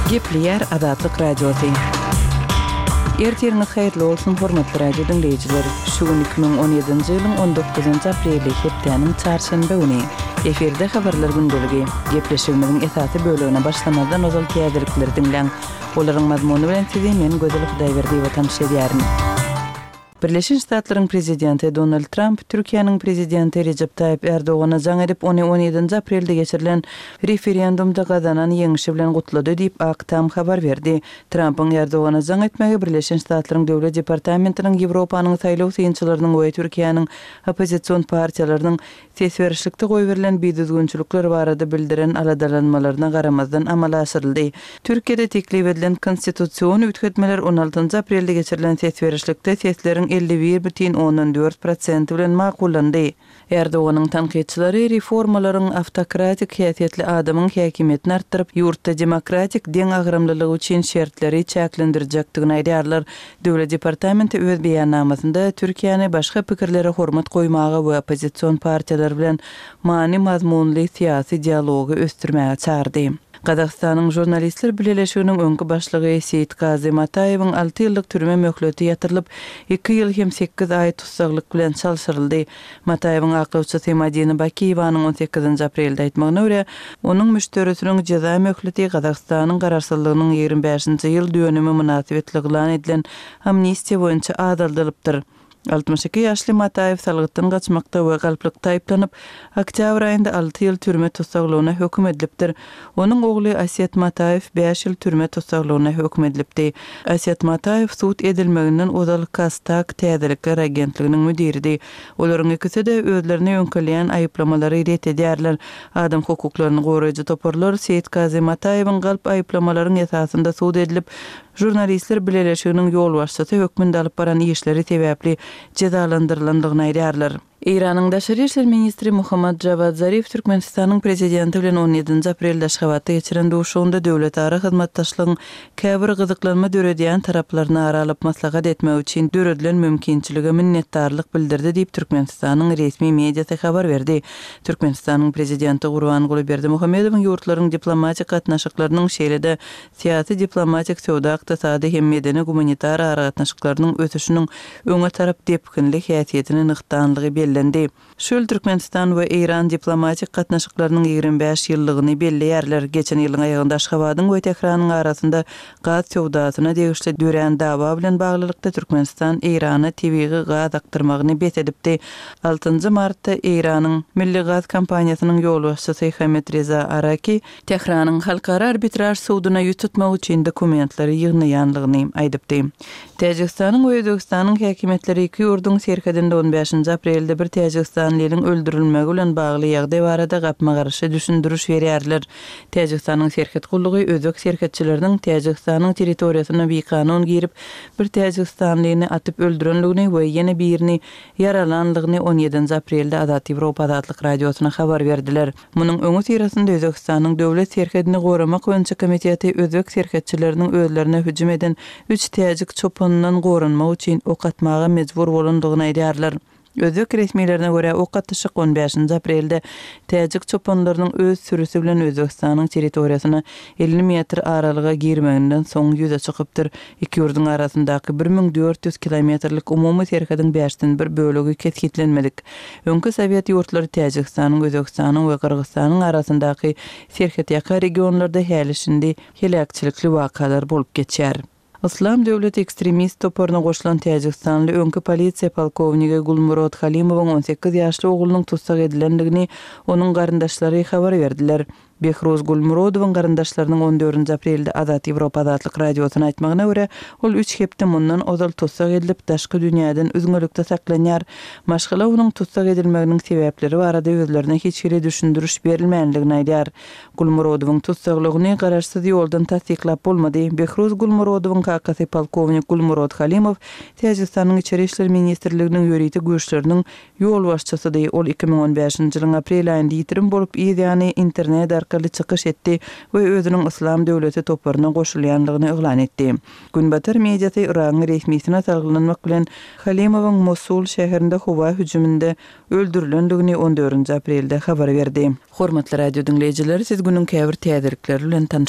Gepleýär Azatlyk Radiosy. Ertiriňiz haýyrly bolsun, hormatly radio diňleýjiler! Şu gün 2017-nji ýylyň on dokuzynjy apreli, hepdäniň çarşenbe güni. Efirde Habarlar gündeligi. Gepleşigimiziň esasy bölegine başlamazdan ozal täzelikleri diňläň. Olaryň mazmuny bilen sizi men Gözel Hudaýberdiýewa tanyş edýärin. Birleşen Ştatlaryň prezidenti Donald Tramp Türkiýäniň prezidenti Rejep Taýyp Erdogana jaň edip, ony on ýedinji aprelde geçirilen referendumda gazanan ýeňşi bilen gutlady diýip, Ak Tam habar berdi. Trampyň Erdogana jaň etmegi Birleşen Ştatlaryň Döwlet departamentiniň Ýewropanyň saýlaw synçylarynyň we Türkiýäniň oppozision partiýalarynyň Ses berişlikde goýberilen bidüzgünçilikler barada bildiren aladalanmalaryna garamazdan amala aşyryldy. Türkiýede teklip edilen konstitusion üýtgetmeler on altynjy aprelde geçirilen ses berişlikde sesleriň 51 bütin ondan dört prosenti bilen makullandy. Erdoganyň tankytçylary reformalaryň awtokratik häsiýetli adamyň häkimiýetini artdyryp, ýurtda demokratik deňagramlylyk üçin şertleri çäklendirjekdigini aýdýarlar. Döwlet departamenti öz beýannamasynda Türkiýäni başga pikirlere hormat goýmaga we oppozision partiýalar bilen many-mazmunly syýasy dialogy ösdürmäge çagyrdy. Gazagystanyň Žurnalistler bileleşiginiň öňki başlygy Seýitgazy Mataýewiň alty ýyllyk türme möhleti ýatyrylyp, iki ýyl hem sekiz aý tussaglyk bilen çalşyryldy. Mataýewiň aklawçysy Madina Bakiýewanyň on sekizinji aprelde aýtmagyna görä, onuň müşderisiniň jeza möhleti Gazagystanyň garaşsyzlygynyň 25-nji ýyl dönümi mynasybetli yglan edilen amnistiýa boýunça azaldylypdyr. 62 ýaşly Mataýew salgytdan gaçmakda we galplykda aýyplanyp, oktýabr aýynda alty ýyl türme tussaglygyna höküm edilipdir. Onuň ogly Aset Mataýew bäş ýyl türme tussaglygyna höküm edilipdi. Aset Mataýew sud edilmeginden ozal KazTAG täzelikler agentliginiň müdiridi. Olaryň ikisi-de özlerine ýöňkelýän aýyplamalary ret edýärler. Adam hukuklaryny goraýjy toparlar Seýitgazy Mataýewiň galp aýyplamalaryň esasynda sud edilip, Žurnalistler bileleşiginiň ýolbaşçysy hökmünde alyp baran işleri sebäpli jezalandyrylandygyny aýdýarlar. Eýranyň daşary işler ministri Mohammad Jawad Zarif Türkmenistanyň Prezidenti bilen on ýedinji aprelde Aşgabatda geçiren duşuşygynda döwletara hyzmatdaşlygyň käbir gyzyklanma döredýän taraplaryny ara alyp maslahat etmek üçin döredilen mümkinçilige minnetdarlyk bildirdi diýip, Türkmenistanyň resmi mediasy habar berdi. Türkmenistanyň Prezidenti Gurbanguly Berdimuhamedowyň ýurtlaryň diplomatik gatnaşyklarynyň, şeýle-de syýasy-diplomatik, söwda-ykdysady hem medeni-gumanitar aragatnaşyklarynyň ösüşiniň öňe tarap depginli häsiýetini nygtanlygy bellendi. Şu ýyl Türkmenistan we Eýran diplomatik gatnaşyklarynyň 25 ýyllygyny belleýärler. Geçen ýylyň aýagynda Aşgabadyň we Tähranyň arasynda gaz söwdasyna degişli dörän dawa bilen baglylykda Türkmenistan Eýrana tebigy gaz akdyrmagyny bes edipdi. Altynjy martda Eýranyň Milli gaz kompaniýasynyň ýolbaşçysy Hamid Reza Araki Tähranyň Halkara arbitraž suduna ýüz tutmak üçin dokumentleri ýygnaýanlygyny aýdypdy. Täjigistanyň we Özbegistanyň häkimiýetleri iki ýurduň serhedinde on bäşinji aprelde bir täjigistanlynyň öldürilmegi bilen bagly ýagdaý barada gapma-garşy düşündiriş berýärler. Täjigistanyň serhet gullugy özbek serhetçileriniň Täjigistanyň territoriýasyna bikanun girip, bir täjigistanlyny atyp öldürenligini we ýene birini ýaralanlygyny on ýedinji aprelde Azat Ýewropa Azatlyk Radiosyna habar berdiler. Munuň öňüsyrasynda Özbegistanyň Döwlet serhedini goramak boýunça komiteti özbek serhetçileriniň özlerine hüjüm eden üç täjik çopanyndan goranmak üçin ok atmaga mejbur bolandygyny aýdýarlar. Özbek resmilerine görä, ok atyşyk on bäşinji aprelde täjik çopanlarynyň öz sürüsi bilen Özbegistanyň territoriýasyna 50 metr aralyga girmeginden soň ýüze çykypdyr. Iki ýurduň arasyndaky 1400 kilometrlik umumy serhediň bäşden bir bölegi kesgitlenmedik. Öňki sowet ýurtlary Täjigistanyň, Özbegistanyň we Gyrgyzystanyň arasyndaky serhetýaka regionlarda häli-şindi heläkçilikli wakalar bolup geçýär. Yslam döwleti ekstremist toparyna goşulan täjigistanly öňki polisiýa polkownigi Gulmurod Halimowyň 18 ýaşly oglunyň tussag edilendigini onuň garyndaşlary habar berdiler. Behruz Gulmurodowyň garyndaşlarynyň on dördünji aprelde Azat Ýewropa Azatlyk Radiosyna aýtmagyna görä, ol üç hepde mundan ozal tussag edilip, daşky dünýäden üzňelikde saklanýar. Maşgala onuň tussag edilmeginiň sebäpleri barada özlerine hiç hili düşündiriş berilmändigini aýdýar. Gulmurodowyň tussaglygyny garaşsyz ýoldan tassyklap bolmady. Behruz Gulmurodowyň kakasy polkownik Gulmurod Halimow Täjigistanyň Içeri işler ministrliginiň ýörite güýçleriniň Ýolbaşçysydy. Ol 2015-nji ýylyň aprel aýynda ýitirim bolup, yz ýany internet arkaly çykyş etdi we özüniň Yslam döwleti toparyna goşulýanlygyny yglan etdi. Günbatar mediasy Yragyň resmisine salgylanmak bilen, Halimowyň Mosul şäherinde howa hüjüminde öldürilendigini on dördünji aprelde habar berdi. Hormatly radio diňleýjiler, siz günüň käbir täzelikleri bilen tanyş.